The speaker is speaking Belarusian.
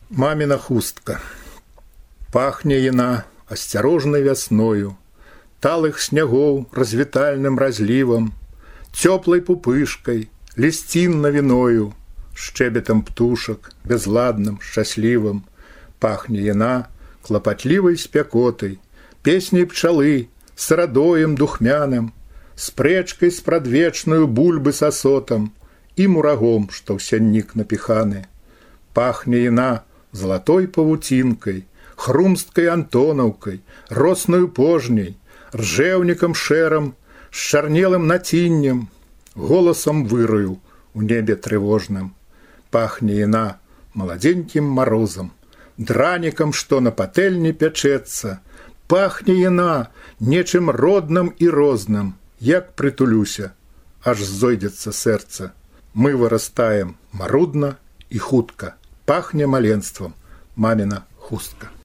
Мамина хустка. Пахне яна асцярожнай вясною, талых снягоў развітальным разлівам, цёплай пупышкай, лісцінна віною, шчэбетам птушак, бязладным, шчаслівым. Пахне яна клапатлівай спякотай, песняй пчалы, сырадоем духмяным, спрэчкай спрадвечную бульбы с асотам і мурагом, што ў сяннік напіханы. Пахне яна золотой павуцінкай, хрумсткай антонаўкай, роснаю пожняй, ржэўнікам шэрам, з чарнелым націннем, голасам выраю у небе трывожным. Пахне яна маладзенькім марозам, дранікам, што на патэльні пячэцца. Пахне яна нечым родным і розным, як прытулюся, аж зойдзецца сэрца. Мы вырастаем марудна і хутка. Пахне маленствам мамина хустка.